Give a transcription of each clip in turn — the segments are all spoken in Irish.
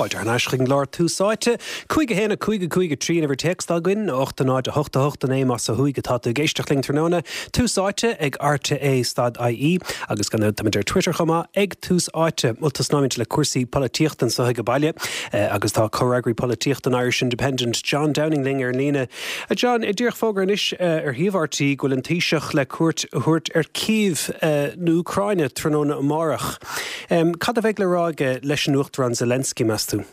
Fáilte thar n-ais chuig an gclár Tús Áite. 5 1 5 5 3 an uimhir téacs atá againn, 8 0 8 8 9 más ó thuaidh atá tú ag éisteacht linn tráthnóna. Tús Áite ag RTÉ stad IE agus gan dabht táimid ar Twitter chomh maith ag Tús Áite. Bhuel tosnóimid le cúrsaí polaitíochta anseo ag baile agus tá comhfhreagraí polaitíochta an Irish Independent John Downing linn ar an líne. A John, díreach fógra anois ar shuíomh RTÉ go bhfuil an Taoiseach le cuairt a thabhairt ar Cív na hÚcráine tráthnóna amárach. Cad a bheidh le rá aige leis an Uachtarán Zelensky, meas tú?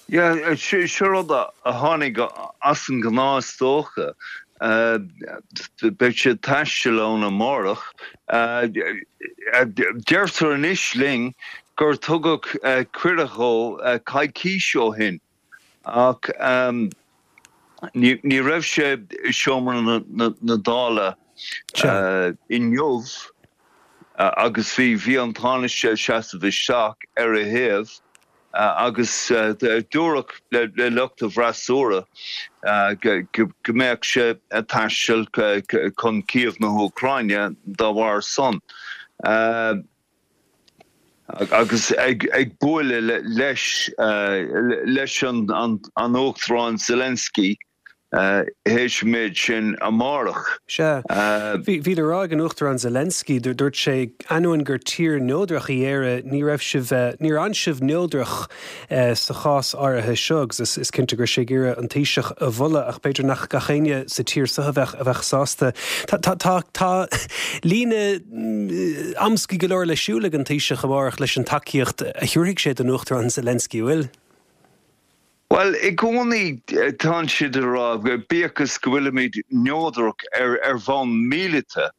Yeah, seo rud a tháinig as an ngnáth is dócha. Beidh sé ag taisteal ann amárach. Deirtear anois linn gur tugadh cuireadh dhó coicís ó shin ach ní raibh sé i seomra na Dála inniu. Agus bhí, bhí an Tánaiste ag seasamh isteach ar a thaobh agus dúradh le lucht an fhreasúra go mbeadh sé ag taisteal chun Cív na hÚcráine dá bharr san. Agus ag bualadh leis, leis an Uachtarán Zelensky théis an méid sin amárach. Sea. Bhí le rá ag an Uachtarán Zelensky, dúirt sé, ainneoin gur tír neodrach í Éire, ní raibh sibh, níor fhan sibh neodrach sa chás áirithe seo agus is cinnte go raibh sé ag iarraidh an Taoiseach a mholadh ach b'fhéidir nach gach éinne sa tír seo a bheadh, a bheadh sásta. Tá, tá, tá, tá líne amscaí go leor le siúl ag an Taoiseach amárach leis an tacaíocht a thabharfaidh sé don Uachtarán Zelensky, an bhfuil? Bhuel, i gcónaí tánn siad ag rá, bíodh is go bhfuilimid neodrach ar bhonn míleata,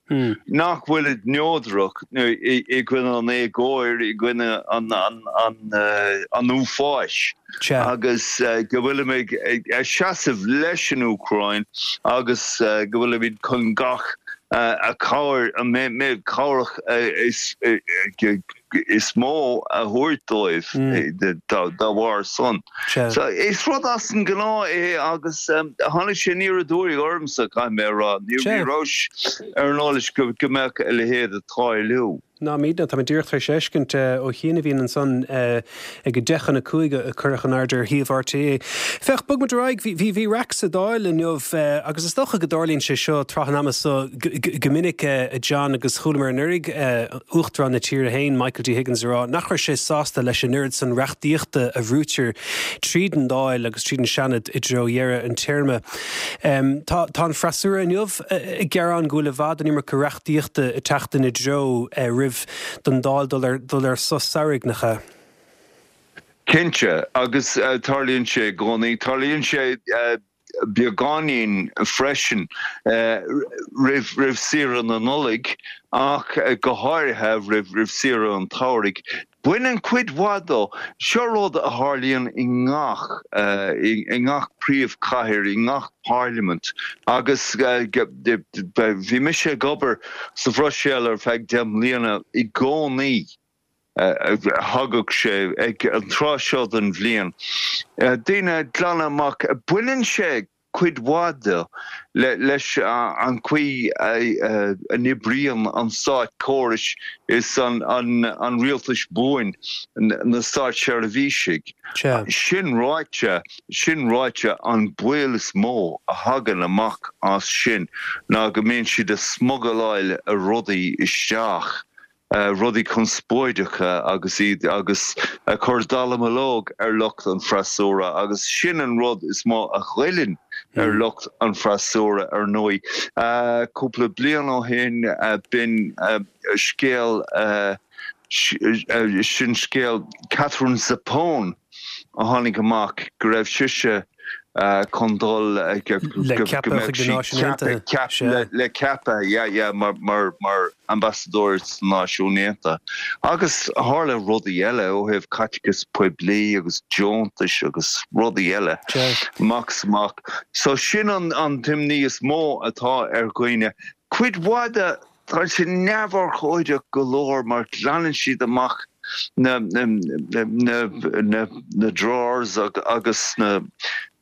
nach bhfuilid neodrach i gcoinne an éagóir, i gcoinne an uafáis, agus go bhfuilimid ag seasamh leis an Úcráin agus go bhfuilimid chun gach cabhair, an méid cabhrach is is mó a thabhairt dóibh dá bharr san. So is rud as an ngnáth é agus tháinig sé aniar aduaidh ormsa, caithfidh mé a rá. Ní rabhas ar an eolas go mbeadh a leithéid ag tarlú. Ná muidne, tá mé díreach tar éis fheiscint ó chianaibh ansan ag 4:50 a cuireadh in airde ar shuíomh RTÉ. Féach, bog muid ar aghaidh, bhí bhí raic sa Dáil inniu agus is dócha go dtarlaíonn sé seo tráth an ama so go minic, a John, agus chualamar anuraidh Uachtarán na tíre féin, Michael D. Higgins, a rá nach raibh sé sásta leis an oiread san reachtaíochta a bhrúitear tríd an Dáil agus tríd an Seanad i dtreo dheireadh an téarma. Tá tá an freasúra inniu ag gearán go bhfuil i bhfad an iomarca reachtaíochta ag teacht ina dtreo roimh don Dáil dul ar dul ar sos samhraidh, nach ea? Cinnte, agus tarlaíonn sé i gcónaí. Tarlaíonn sé beagáinín freisin roimh roimh saoire na Nollag ach go háirithe roimh roimh saoire an tsamhraidh. Baineann cuid mhaith dó. Seo rud a tharlaíonn i ngach i ngach príomhchathair, i ngach parlaimint agus bhí mise ag obair sa Bhruiséil ar feadh 10 mbliana i gcónaí. Thagadh sé ag an tráth seo den bhliain. Daoine ag glanadh amach. Baineann sé cuid mhaith de leis an chaoi a n-oibríonn an státchórais is an rialtais buain, na státseirbhísigh. Sin ráite, sin ráite, an baol is mó a thagann amach as sin ná go mbíonn siad ag smugaláil rudaí isteach rudaí conspóideacha agus iad agus ag cur dallamullóg ar lucht an freasúra agus sin an rud is mó a ghoilleann ar lucht an freasúra ar ndóigh. Cúpla bliain ó shin b'in scéal sin scéal Katherine Zappone a tháinig amach go raibh sise chun dul go mbeadh sí le ceapadh yeah yeah mar mar mar ambasadóir sna Náisiúin Aontaithe. Agus tharla rudaí eile ó thaobh caiteachas poiblí agus deontais agus rudaí eile amach is amach. So sin an an t-imní is mó atá ar dhaoine. Cuid mhaith de Tá sé neamhurchóideach go leor mar glanann siad amach na na drawers agus na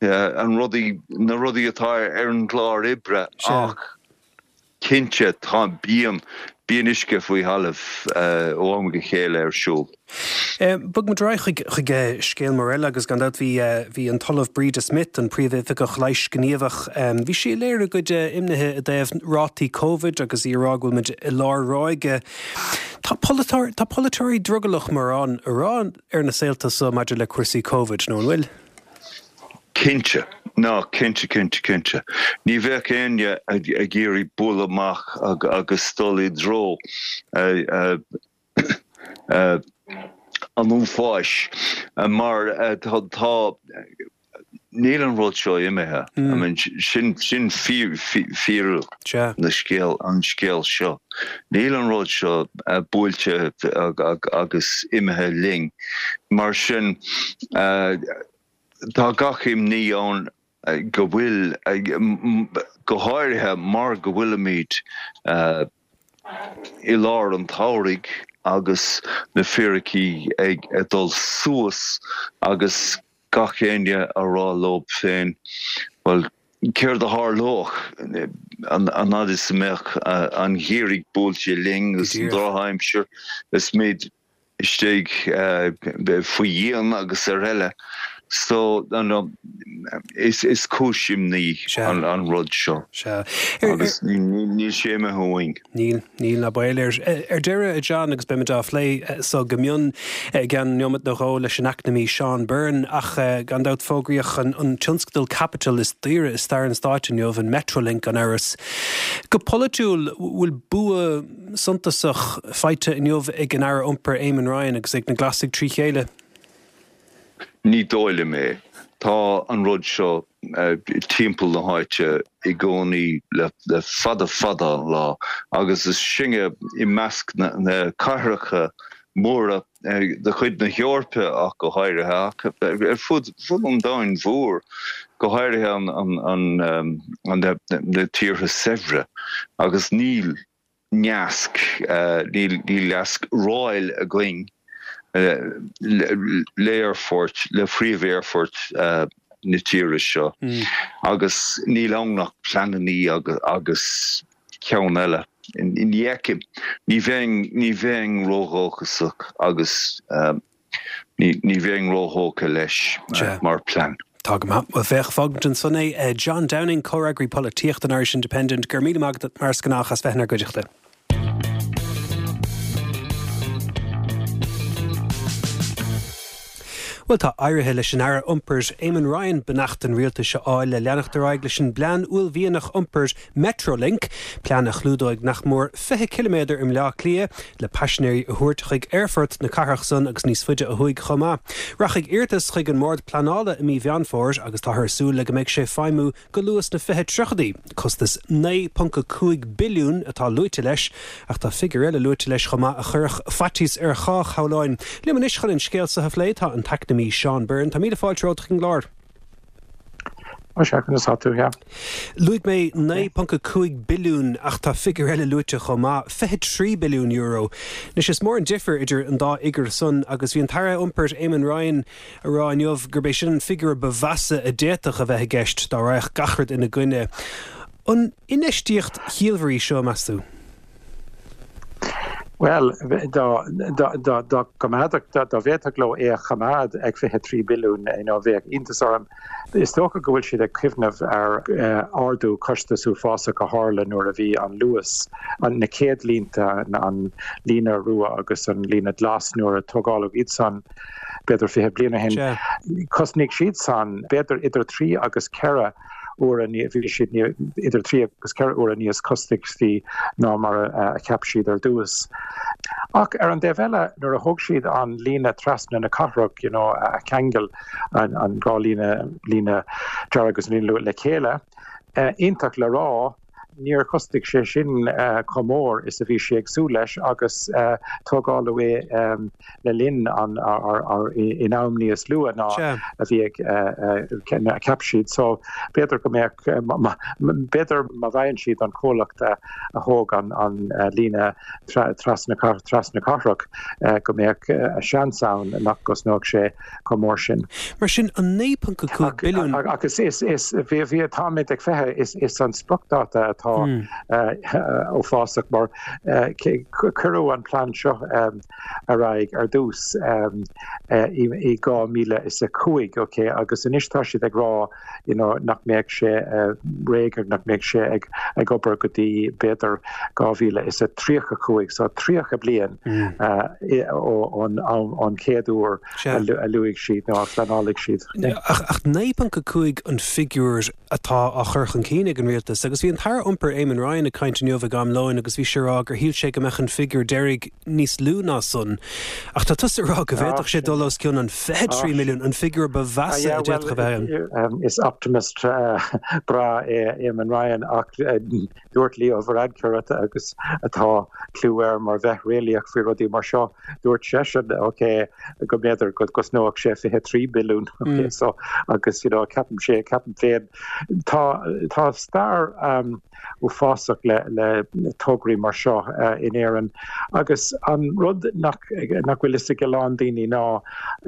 an rudaí na rudaí atá ar an gclár oibre ach cinnte tá bíonn. Bíonn uisce faoi thalamh ó am go chéile ar siúl. Bog muid ar aghaidh chuig scéal mór eile agus gan dabht bhí bhí an tOllamh Breda Smith, an Príomhoifigeach Leighis Gníomhach, bhí sí ag léiriú a cuid imnithe i dtaobh rátaí Covid agus í ag rá go bhfuil muid i lár ráige. Tá tá polaiteoirí drogallach mórán a rá ar na saolta so maidir le cúrsaí Covid, nó an bhfuil? Cinnte. Ná, cinnte, cinnte, cinnte. Ní bheadh éinne ag iarraidh bualadh amach agus dul i dtreo an uafáis mar tá, níl an rud seo imithe. I mean, sin, sin fírinne na scéal, an scéal seo. Níl an rud seo buailte agus imithe linn. Mar sin, tá gach imní ann go bhfuil, go háirithe mar go bhfuilimid i lár an tsamhraidh agus na fíricí ag dul suas agus gach éinne a rá leo féin, bhuel, céard a tharlódh an fhad is a mbeadh an geimhreadh buailte linn agus an drochaimsir is muid istigh faoi dhíon agus ar eile. So, is cúis imní an rud seo agus níl sé imithe uainn. Níl, níl ná baol air. Ar deireadh, a John, agus beimid á phlé so go mion i gceann neomat nó dhó leis an eacnamaí Seán Byrne, ach gan dabht fógraíodh an tionscadal caipitil is daoire i stair an stáit inniu, an Metrolink gan amhras. Go polaitiúil, bhfuil bua suntasach faighte inniu ag an Aire Iompair Eamon Ryan agus ag na Glasaigh trí chéile? Ní dóigh liom é. Tá an rud seo timpeall na háite i gcónaí le fada fada an lá agus is sinne i measc na cathracha móra de chuid na hEorpa ach go háirithe, ach ar fud an domhain mhóir, go háirithe na tíortha saibhre agus níl neasc, níl neasc ráil againn le aerfort, le príomh-aerfort na tíre seo agus níl ann ach pleanannaí agus ceann eile. Ní fheicim, ní bheinn, ní bheinn ródhóchasach agus. Ní bheinn róthógtha leis mar plean. Tá go maith. Bhuel, féach, fágfaimid ansan é. John Downing, Comhfhreagraí Polaitíochta an Irish Independent, go raibh míle maith agat mar is gnách as bheith inár gcuideachta. Bhuel, tá éirithe leis an Aire Iompair, Eamon Ryan, beannacht an rialtais a fháil le leanacht ar aghaidh leis an bplean uaillmhianach iompair Metrolink, plean a chlúdóidh nach mór 20 ciliméadar i mBleá Cliath le paisinéirí a thabhairt chuig aerfort na cathrach san agus níos faide ó thuaidh chomh maith. Rachaidh iarratas chuig an mBord Pleanála i mí Mheán Fómhair agus táthar ag súil le go mbeidh sé ag feidhmiú go luath sna 2030idí. Costas 9.5 billiún atá luaite leis ach tá figiúr eile luaite leis chomh maith a chuirfeadh faitíos ar chách, shamhlóinn. Liom anois chun an scéal seo a phlé tá an t-eacnamaí Seán Byrne. Tá míle fáilte romhat chuig an gclár. Tá sé, conas tá tú, yeah. Luaigh mé 9.5 billiún ach tá figiúr eile luaite chomh maith, 23 billiún euro. Anois is mór an difear idir an dá fhigiúr san agus bhí an tAire Iompair Eamon Ryan ag rá inniu gurb é sin an figiúr ba mheasa a d'fhéadfadh a bheith i gceist dá raghadh gach rud ina gcoinne. An infheistíocht chiallmhar í seo, meas tú? Bhuel, dá bhféadfadh leo é a choimeád ag 23 billiún, you know, bheadh iontas orm. Is dócha go bhfuil siad ag cuimhneamh ar ardú costais uafásach a tharla nuair a bhí an Luas, na chéad línte, an líne rua agus an líne glas, nuair a tógáladh iad san, b'fhéidir 20 bliain ó shin, chosnaigh siad san b'fhéidir idir trí agus ceithre uaire, bhí siad idir trí agus ceithre huaire níos costasaí ná mar a cheap siad ar dtús. Ach ar an dtaobh eile, nuair a thóg siad an líne trasna na cathrach, you know, a cheangail an dhá líne, líne dearg agus an líne rua le chéile, iontach le rá, Níor chosnaigh sé sin chomh mór is a bhí sé ag súil leis agus tógáladh é le linn an in am níos luaithe ná a bhí ag a cheap siad. So b'fhéidir go mbeadh b'fhéidir má bhfaigheann siad an comhlacht a thóg an líne trasna trasna cathrach go mbeadh seans ann nach gcosnódh sé chomh mór sin. Mar sin, an 9.5 billiún. Ach is, is, is, bhí, bhí, táimid ag 20, is, is an spriocdháta atá. atá uafásach mar cuireadh an plean seo ar aghaidh ar dtús i 2005, ok, agus anois tá siad ag rá you know nach mbeadh sé réidh agus nach mbeadh sé ag ag obair go dtí b'fhéidir 2035, so 30 bliain ón am ón chéad uair a luaigh siad nó a phleanálaigh siad. Ach 9.5 an figiúr atá á chur chun cinn ag an rialtas agus bhí an tAire Iompair Eamon Ryan ag caint inniu ag am lóin agus bhí sé ag rá gur shíl sé go mbeadh an figiúr deiridh níos lú ná san. Ach tá tusa ag rá go bhféadfadh sé dul os cionn an 23 milliún, an figiúr ba mheasa a d'fhéadfadh a bheith ann. Is optimist breá é Eamon Ryan ach dúirt Leo Varadkar agus atá clú air mar bheith réalaíoch faoi rudaí mar seo, dúirt seisean ok go mb'fhéidir go gcosnódh sé 23 billiún ok so agus you know ceapaim sé ceapaim féin tá tá stair uafásach le tograí mar seo in Éirinn agus an rud nach bhfuil fhios ag a lán daoine ná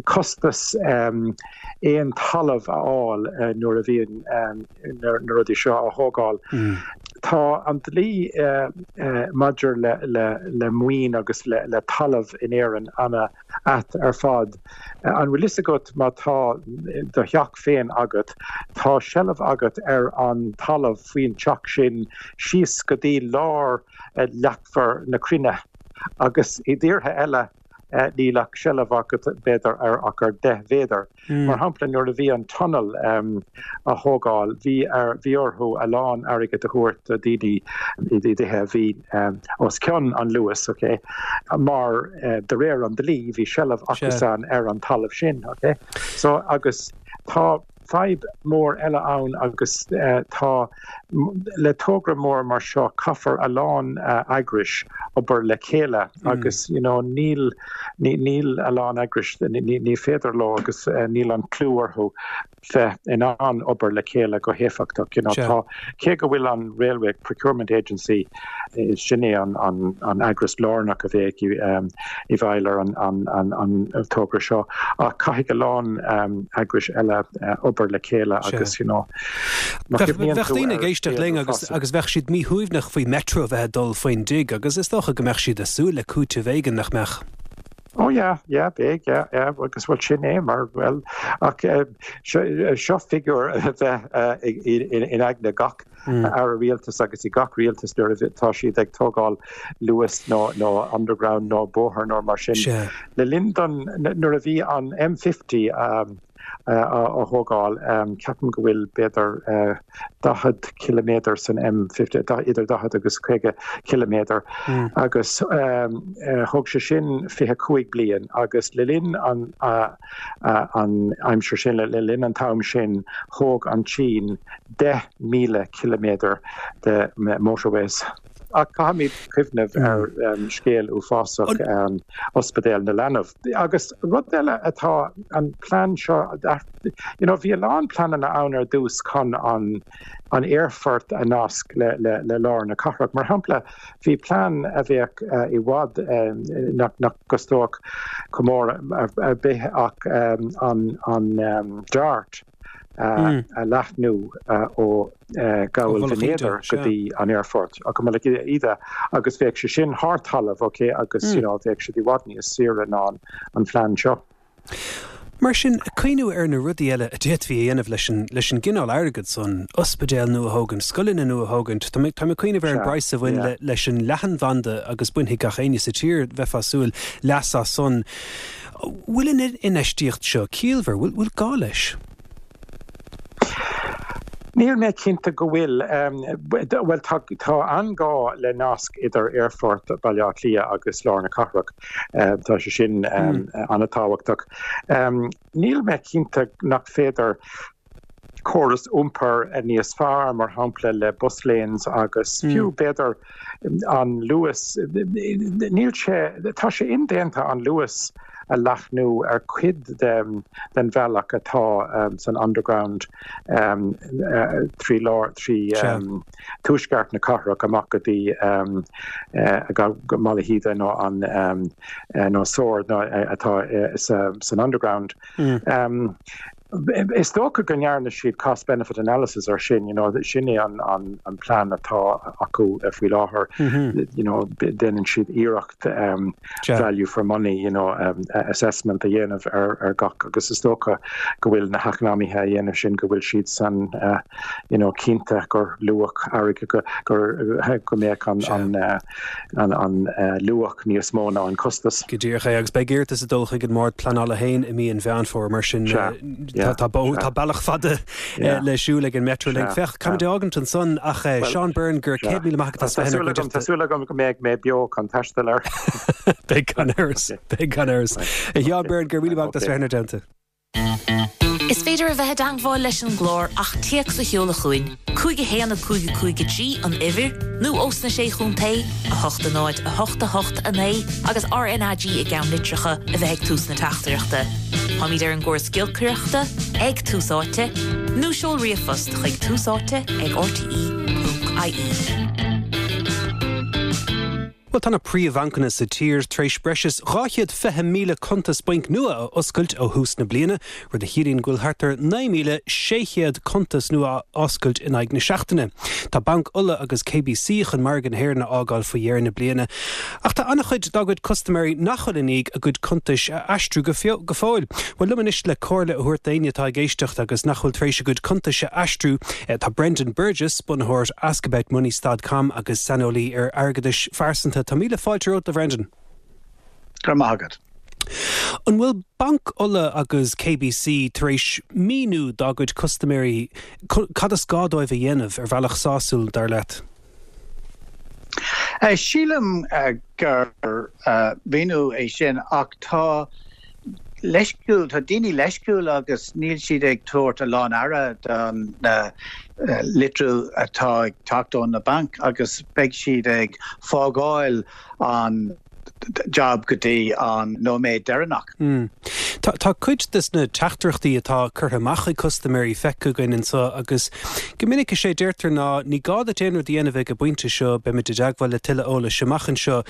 costas aon talamh a fháil nuair a bhíonn na rudaí seo á thógáil. Tá an dlí maidir le maoin agus le talamh in Éirinn ana ait ar fad. An bhfuil fhios agat má tá do theach féin agat, tá seilbh agat ar an talamh faoin teach sin síos go dtí lár leathmhar na cruinne agus i dtíortha eile níl ach seilbh agat b'fhéidir ar ach ar 10 mhéadar. Mar shampla, nuair a bhí an tunnel á thógáil, bhí ar, bhí orthu a lán airgid a thabhairt do daoine i dtithe a bhí os cionn an Luas, ok, mar de réir an dlí, bhí seilbh acusan ar an talamh sin, ok. So, agus tá fadhb mór eile ann agus tá, le togra mór mar seo, caithfear a lán eagrais obair le chéile agus, you know, níl, Níl a lán eagrais, ní féidir leo agus níl an clú orthu bheith in ann obair le chéile go héifeachtach. You know, tá, cé go bhfuil an Railway Procurement Agency, sin é an eagras lárnach a bheidh i bhfeighil ar an togra seo, ach caithfidh a lán eagrais eile obair le chéile agus, you know, má chuimhníonn tú ar. Bheadh daoine ag éisteacht linn agus agus bheadh siad míshuaimhneach faoi Metro a bheith ag dul faoin dtigh agus is dócha go mbeadh siad ag súil le cúiteamh éigin, nach mbeadh? Oh yeah, yeah, beidh, yeah, yeah, agus bhuel sin é mar, bhuel, ach seo figiúr a bheith in aigne gach aire rialtais agus i gach rialtas nuair a tá siad ag tógáil Luas nó nó underground nó bóthar nó mar sin. Le linn don, nuair a bhí an M50 á thógáil. Ceapaim go bhfuil b'fhéidir 40 ciliméadar san M50, idir 40 agus 50 ciliméadar, agus thóg sé sin 25 bliain agus le linn an aimsir sin, le linn an t-am sin, thóg an tSín 10,000 ciliméadar de motorways. Ach caithfimid cuimhneamh ar scéal uafásach Ospidéal na Leanbh. Agus rud eile atá an plean seo, you know, bhí a lán pleananna ann ar dtús chun an an aerfort a nasc le le lár na cathrach. Mar shampla, bhí plean a bheadh i bhfad nach nach gcostódh chomh mór ar bith ach an an DART. a leathnú ó Ghabhal Bhinn Éadair go dtí an aerfort, go Mullach Íde, agus bheadh sé sin thar talamh, ok, agus you know bheadh siad i bhfad níos saoire ná an phlean seo. Mar sin, ag cuimhniú ar na rudaí eile a d'fhéadfaí a dhéanamh leis an leis an gcineál airgid san, ospidéal nua a thógaint, scoileanna nua a thógaint, tá mé tá mé ag cuimhneamh ar an bpraghas a bhain le leis an leathanbhanda agus bainfidh gach éinne sa tír, bheifeá ag súil, leas as san. Bhfuil an infheistíocht seo ciallmhar? Bhfuil gá leis? Níl mé cinnte go bhfuil. Bhuel, tá an-ghá le nasc idir Aerfort Bhaile Átha Cliath agus lár na cathrach. Tá sé sin an-tábhachtach. Níl mé cinnte nach féidir córas iompair níos fearr, mar shampla le bus lanes agus fiú b'fhéidir an Luas, níl sé, tá sé indéanta an Luas. a leathnú ar cuid den bhealach atá san Underground 3 lár 3 tuaisceart na cathrach amach go dtí go Malahide nó an nó Sord atá san Underground. Is dócha go ndearna siad cost benefit analysis ar sin, you know, sin é an an an plean atá acu faoi láthair, you know, déanann siad iarracht value for money, you know, assessment a dhéanamh ar ar gach agus is dócha go bhfuil na heacnamaithe a dhéanamh sin go bhfuil siad san you know, cinnte gur luach airgid go gur go mbeadh an an an an luach níos mó ná an costas. Go díreach é, agus beidh iarratas ag dul chuig an mBord Pleanála féin i mí an Mheán Fómhair, mar sin tá bealach fada le siúl ag an Metrolink. Féach, caithfimid é a fhágaint ansan ach Seán Byrne, go raibh 100,000 maith agat as bheith inár gcuideachta. Tá súil agam go mbeidh mé beo chun taisteal air. Beidh gan amhras, beidh gan amhras. A Sheáin Byrne, go raibh míle maith agat as bheith inár dteannta. Is féidir a bheith i dteangmháil leis an gclár ach téacs a sheoladh chugainn, 5 1 5 5 3 an uimhir, nó ós na Sé Chontae, 8 0 8 8 9 agus RnaG i gceannlitreacha a bheith ag tús na teachtaireachta. Táimid ar an gcóras giolcaireachta, ag Tús Áite, nó seol ríomhphost chuig tús áite ag rte.ie. Bhuel, tá na príomhbhancanna sa tír tar éis breis is 220,000 cuntas bainc nua a oscailt ó thús na bliana, rud a chiallaíonn go bhfuil thart ar 9,600 cuntas nua á oscailt in aghaidh na seachtaine. Tá Banc Uladh agus KBC chun margadh na hÉireann a fhágáil faoi dheireadh na bliana, ach tá an-chuid dá gcuid custaiméirí nach bhfuil i ndiaidh a gcuid cuntais a aistriú go fóill. Bhuel, liom anois le comhairle a thabhairt d'éinne atá ag éisteacht agus nach bhfuil tar éis a gcuid cuntais a aistriú, tá Brendan Burgess, bunaitheoir AskAboutMoney stad com agus saineolaí ar airgeadais phearsanta. Tá míle fáilte romhat, a Bhrendan. Go raibh maith agat. An bhfuil Banc Uladh agus KBC tar éis míniú dá gcuid custaiméirí cad is gá dóibh a dhéanamh ar bhealach sásúil, dar leat? Sílim gur mhíniú é sin ach tá leisciúil, tá daoine leisciúil agus níl siad ag tabhairt a lán aire don litriú atá ag teacht ó na bainc agus beidh siad ag fágáil an jab go dtí an nóiméad deireanach. Tá tá cuid des na teachtaireachtaí atá curtha amach ag custaiméirí feicthe againn anseo agus go minic is é a deirtear ná ní gá duit aon rud a dhéanamh ag an bpointe seo, beimid i dteagmháil le tuilleadh eolais amach anseo.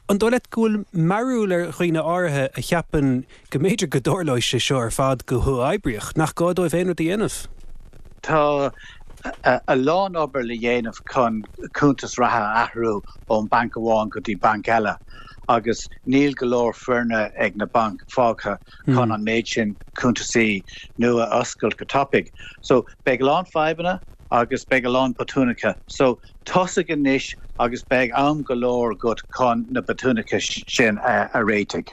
An dóigh leat go bhfuil mearbhall ar dhaoine áirithe a cheapann go mb'fhéidir go dtarlóidh sé seo ar fad go huathoibríoch, nach gá dóibh aon rud a dhéanamh? Tá a lán obair le dhéanamh chun cuntas reatha a athrú ón banc amháin go dtí banc eile agus níl go leor foirne ag na bainc fágtha chun an méid sin cuntasaí nua a oscailt go tapaidh. So beidh a lán fadhbanna agus beidh a lán botúnacha. So Tosaigh anois agus beidh am go leor agat chun na botúnacha sin a réitigh.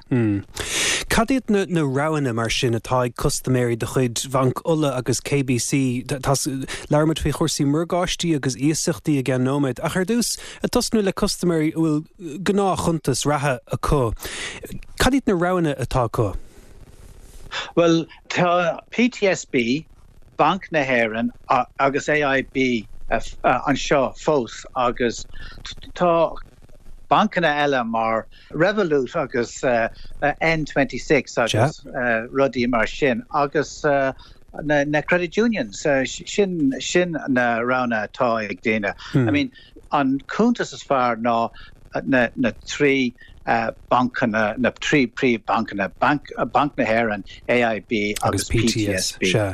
Cad iad na roghanna mar sin atá ag custaiméirí de chuid Bhanc Uladh agus KBC? Labhróidh muid faoi chúrsaí morgáistí agus iasachtaí i gceann nóiméad, ach ar dtús, ag tosnú le custaiméirí a bhfuil gnáthchuntas reatha acu, cad iad na roghanna atá acu? Bhuel, tá PTSB, Banc na hÉireann agus AIB anseo fós agus tá bancanna eile mar Revolut agus N26 agus rudaí mar sin agus na credit unions, sin sin na roghanna atá ag daoine. I mean an cuntas is fearr ná na na 3 bancanna, na 3 príomhbhancanna, Banc Banc na hÉireann, AIB agus PTSB.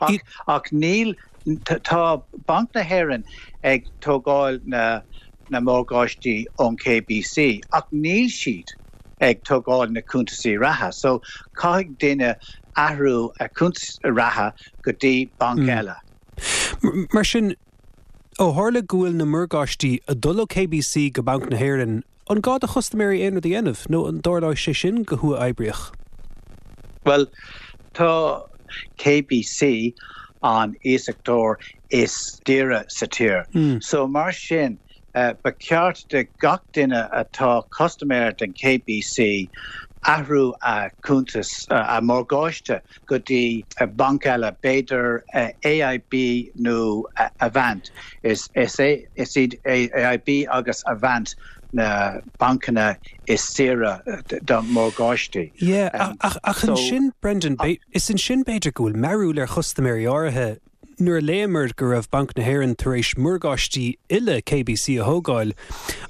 Ach ach níl, tá Banc na hÉireann ag tógáil na na morgáistí ón KBC ach níl siad ag tógáil na cuntasaí reatha. So caithfidh duine athrú a cuntas reatha go dtí banc eile. Mar sin, Ó tharla go bhfuil na morgáistí ag dul ó KBC go Banc na hÉireann, an gá do chustaiméirí aon rud a dhéanamh, nó an dtarlóidh sé sin go huathoibríoch? Bhuel, tá KBC an iasachtóir is daoire sa tír. So mar sin, ba cheart do gach duine atá custaiméir den KBC athrú a cuntas, a morgáiste go dtí banc eile, b'fhéidir AIB nó Avant. Is iad AIB agus Avant. na bancanna is saoire do mhorgáistí. Yeah, ach ach ansin, Brendan, is ansin b'fhéidir go bhfuil mearúil ar chustaiméirí áirithe. Nuair a léamar go raibh Banc na hÉireann tar éis morgáistí uile KBC a thógáil,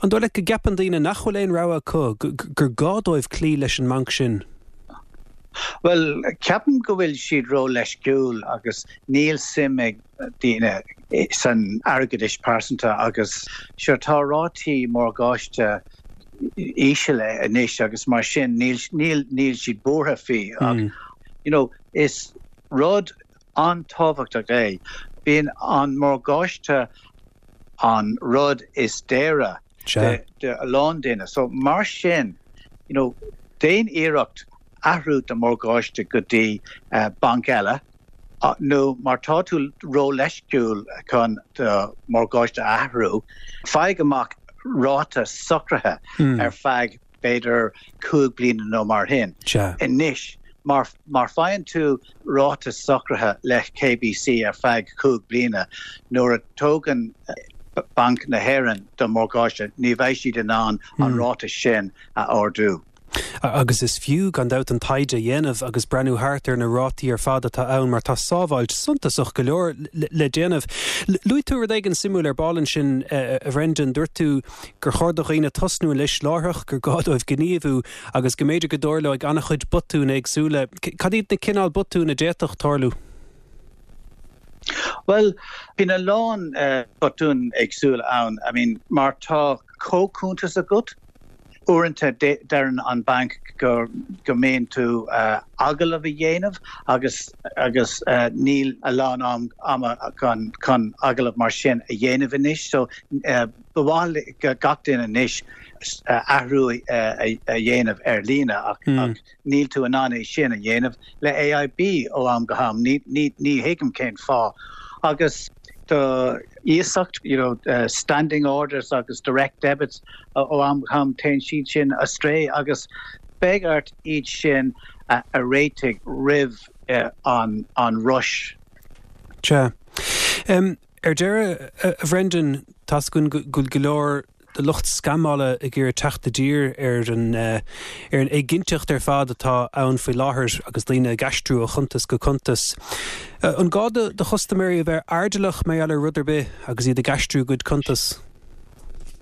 an dóigh leat go gceapann daoine nach bhfuil aon rogha acu, gur gá dóibh cloí leis an mbanc sin? Bhuel, ceapaim go bhfuil siad ró-leisciúil agus níl suim ag daoine san airgeadais pearsanta agus sure tá rátaí morgáiste íseal anois agus mar sin níl níl níl siad buartha faoi ach you know is rud an-tábhachtach é. Bíonn an morgáiste an rud is daora do a lán duine. So mar sin, you know, déan iarracht athrú do mhorgáiste go dtí banc eile nó má tá tú ró-leisciúil chun do mhorgáiste a athrú, faigh amach ráta socraithe ar feadh b'fhéidir 5 bliana nó mar shin. Anois, má má faigheann tú ráta socraithe le KBC ar feadh 5 bliana, nuair a tógann Banc na hÉireann do mhorgáiste, ní bheidh siad in ann an ráta sin a ardú. Agus is fiú, gan dabht, an taighde a dhéanamh agus breathnú thart ar na rátaí ar fad atá ann mar tá sábháilt suntasach go leor le déanamh. Luaigh tú rud éigin suimiúil ar ball ansin, a Bhrendan. Dúirt tú gur chóir do dhaoine tosnú anois láithreach, gur gá dóibh gníomhú agus go mb'fhéidir go dtarlóidh an-chuid botún éagsúla. Cad iad na cineál botún a d'fhéadfadh tarlú? Bhuel, bíonn a lán botún éagsúla ann. I mean, má tá comhchuntas agat, uaireanta deireann an banc go go mbíonn tú agallamh a dhéanamh agus agus níl a lán am ama chun chun agallamh mar sin a dhéanamh anois. So Ba mhaith le gach duine anois athrú a dhéanamh ar líne ach níl tú in ann é sin a dhéanamh le AIB ó am go ham. Ní thuigim cén fáth. Agus do iasacht, you know, standing orders agus direct debits ó am go ham téann siad sin astray agus beidh ort iad sin a réitigh roimh an rush. Sea. Ar deireadh, a Bhrendan, tá's againn go bhfuil go leor de lucht scamála ag iarraidh teacht i dtír ar an ar an éiginnteacht ar fad atá ann faoi láthair agus daoine ag aistriú ó chuntas go cuntas. An gá do chustaiméirí a bheith airdeallach mar gheall ar rud ar bith agus iad ag aistriú a gcuid cuntas?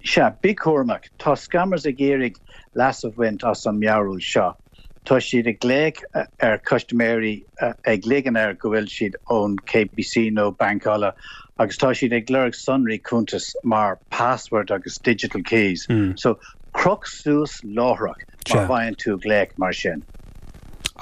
Sea, bí cúramach. Tá scammers ag iarraidh leas a bhaint as an mearúil seo. Tá siad ag glaoch ar chustaiméirí ag ligean air go bhfuil siad ón KBC nó banc eile agus tá siad ag lorg sonraí cuntais mar password agus digital keys. So croch suas láithreach má bhfaigheann tú glaoch mar sin.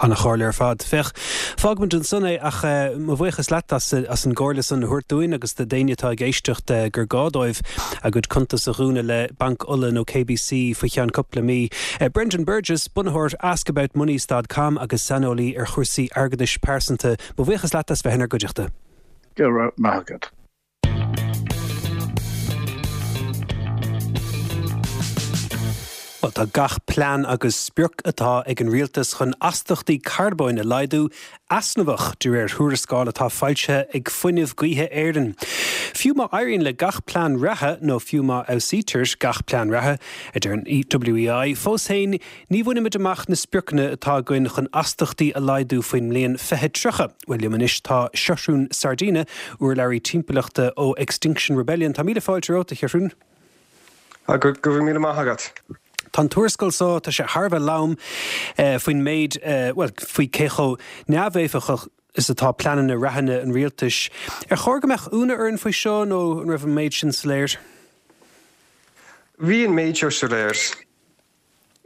An-chomhairle ar fad. Féach, fágfaimid ansan é ach mo bhuíochas leat as an gcomhairle san a thabhairt dúinn agus do d'éinne atá ag éisteacht gur gá dóibh a gcuid cuntas a dhúnadh le Banc Uladh nó KBC faoi cheann cúpla mí. Brendan Burgess, bunaitheoir AskAboutMoney stad com agus saineolaí ar chúrsaí airgeadais pearsanta, mo bhuíochas leat as bheith inár gcuideachta. Go raibh maith agat. Bhuel, tá gach plean agus sprioc atá ag an rialtas chun astachtaí carbóin a laghdú easnamhach, de réir thuarascáil atá foilsithe ag Fuinneamh Gaoithe Éireann. Fiú má éiríonn le gach plean reatha, nó fiú má fheabhsaítear gach plean reatha, a deir an WEI, fós féin ní bhainfimid amach na spriocanna atá againn chun astachtaí a laghdú faoin mbliain 2030. Bhuel, liom anois tá Seathrún Sardina, urlabhraí timpeallachta ó Extinction Rebellion. Tá míle fáilte romhat, a Sheathrúin. Go raibh míle maith agat. Tá an tuarascáil seo, tá sé thar a bheith lom faoin méid, bhuel, faoi cé chomh neamhéifeachtach is atá pleananna reatha an rialtais. Ar chóir go mbeadh ionadh orainn faoi seo nó an raibh an méid sin soiléir? Bhí an méid seo soiléir.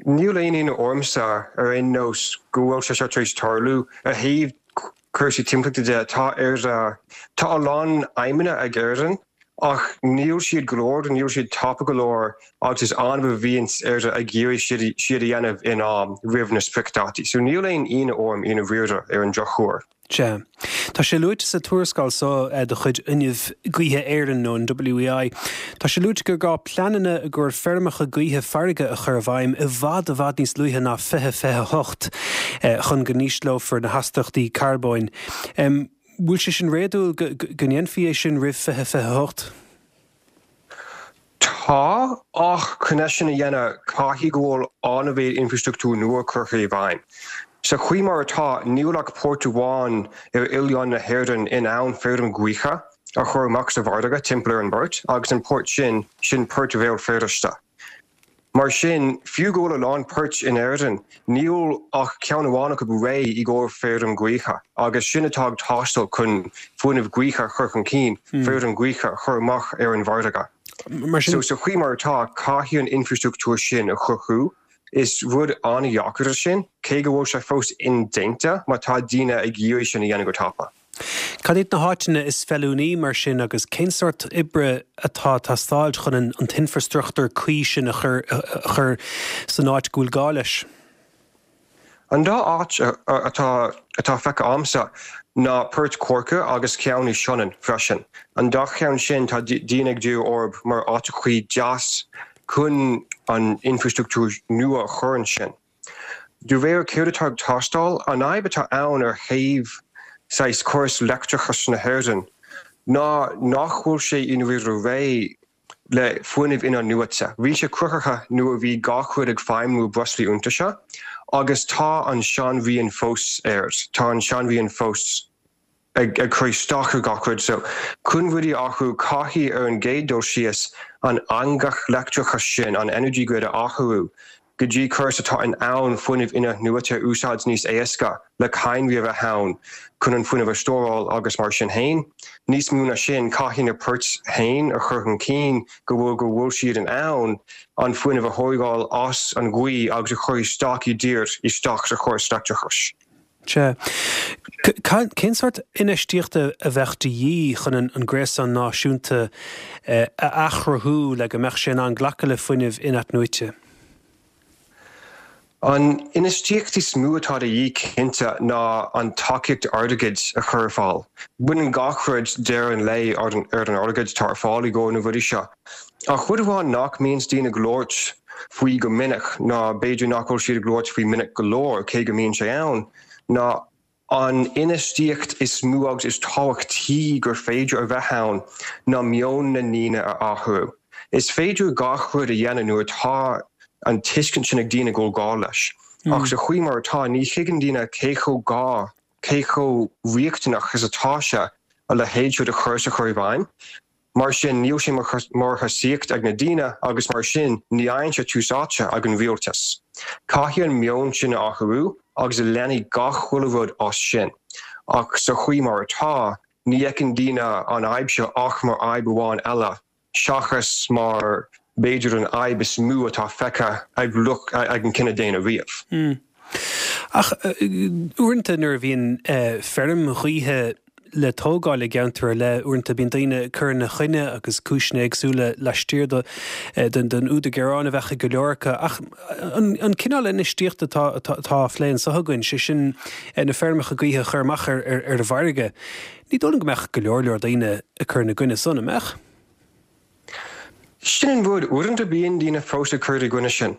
Níl aon ionadh ormsa ar aon nós go bhfuil sé seo tar éis tarlú. Ó thaobh cúrsaí timpeallachta de, tá Éire, tá a lán aidhmeanna ag Éirinn ach níl siad go leor, níl siad tapa go leor agus is annamh a bhíonns Éire ag iarraidh siad a dhéanamh in am roimh na spriocdhátaí. So níl aon ionadh orm i ndáiríre ar an drochuair. Sea. Tá sé luaite sa tuarascáil seo de chuid Fhuinneamh Gaoithe Éireann, nó an WEI, tá sé luaite gur gá pleananna i gcomhair feirmeacha gaoithe farraige a chur i bhfeidhm i bhfad i bhfad níos luaithe ná 2028 chun go n-ísleofar na hastachtaí carbóin. Bhfuil sé sin réadúil go ndéanfaí é sin roimh 2028? Tá, ach chun é sin a dhéanamh caithfidh go bhfuil an-mhéid infrastruchtúr nua curtha i bhfeidhm. Sa chaoi mar atá, níl ach port amháin ar oileán na hÉireann in ann feirm ghaoithe a chur amach sa bhfarraige timpeall ar an bport, agus an port sin, sin Port Bhéal Feirste. Mar sin, fiú go bhfuil a lán poirt in Éirinn, níl ach ceann amháin acu réidh i gcomhair feirm gaoithe, agus sin atá ag teastáil chun fuinneamh gaoithe a chur chun cinn, feirm gaoithe a chur amach ar an bhfarraige. So, sa chaoi mar atá, caithfidh an infreastruchtúr sin a chruthú. Is rud an-dheacair é sin, cé go bhfuil sé fós indéanta má tá daoine ag iarraidh sin a dhéanamh go tapa. Cad iad na háiteanna is feiliúnaí mar sin agus cén sórt oibre atá ag teastáil chun an t-infreastruchtúr cuí sin a chur san áit go bhfuil gá leis? An dá áit atá atá feicthe a'msa ná Port Corca agus ceann i Sionainn freisin. An dá cheann sin tá daoine ag díriú orthu mar áiteachaí deas chun an infreastruchtúr nua a chur ansin. De réir céard atá ag teastáil, an fhadhb atá ann ar thaobh saghas córas leictreachais na hÉireann ná nach bhfuil sé i ndáiríre réidh le fuinneamh in-athnuaite. Bhí sé cruthaithe nuair a bhí gach rud ag feidhmiú breoslaí iontaise agus tá an seanrian fós air, tá an seanrian fós. ag cur isteach ar gach rud. So, chun rudaí a athrú, caithfidh ar an gcéad dul síos an eangach leictreachais sin, an energy grid a athrú go dtí córas atá in ann fuinneamh in-athnuaite a úsáid níos éasca le cadhnraí a bheith ann chun an fuinneamh a stóráil agus mar sin féin. Níos mó ná sin, caithfidh na poirt féin a chur chun cinn go bhfuil go bhfuil siad in ann an fuinneamh a thógáil as an ghaoth agus a chur isteach i dtír isteach sa chóras leictreachais. Sea. Cén sórt infheistíochta a bheadh de dhíth chun an gréasán náisiúnta a athchruthú le go mbeadh sé in ann glacadh le fuinneamh in-athnuaite? An infheistíocht is mó atá de dhíth cinnte ná an tacaíocht airgid a chur ar fáil. Baineann gach rud deireadh an lae ar an airgead atá ar fáil i gcomhair na rudaí seo. Ach rud amháin nach mbíonns daoine ag labhairt faoi go minic, ná b'fhéidir nach bhfuil siad ag labhairt faoi minic go leor, cé go mbíonn sé ann, ná an infheistíocht is mó agus is tábhachtaí gur féidir a bheith ann ná meon na ndaoine a athrú. Is féidir gach rud a dhéanamh nuair atá an tuiscint sin ag daoine go bhfuil gá leis. Ach sa chaoi mar atá, ní thuigeann daoine cé chomh gá, cé chomh riachtanach is atá sé a leithéid seo de chóras a chur i bhfeidhm. Mar sin, níl sé mar thosaíocht ag na daoine agus mar sin, ní fhaigheann sé tús áite ag an rialtas. Caithfidh an meon sin a athrú agus leanfaidh gach uile rud as sin. Ach sa chaoi mar atá, ní fheiceann daoine an fhadhb seo ach mar fhadhb amháin eile seachas mar b'fhéidir an fhadhb is mó atá feicthe ag lucht ag an cine daonna riamh. Ach uaireanta nuair a bhíonn feirm ghaoithe le tógáil i gceantar ar leith, uaireanta bíonn daoine ag cur ina choinne agus cúiseanna éagsúla laistiar den údar gearáin a bheadh ag go leor acu. Ach an cineál infheistíochta atá atá á phlé anseo againn, sé sin na feirmeacha gaoithe a chur amach ar ar an bhfarraige, ní dóigh liom go mbeadh go leor leor daoine ag cur ina gcoinne san, an mbeadh? Sin an rud, uaireanta bíonn daoine fós ag cur i gcoinne sin.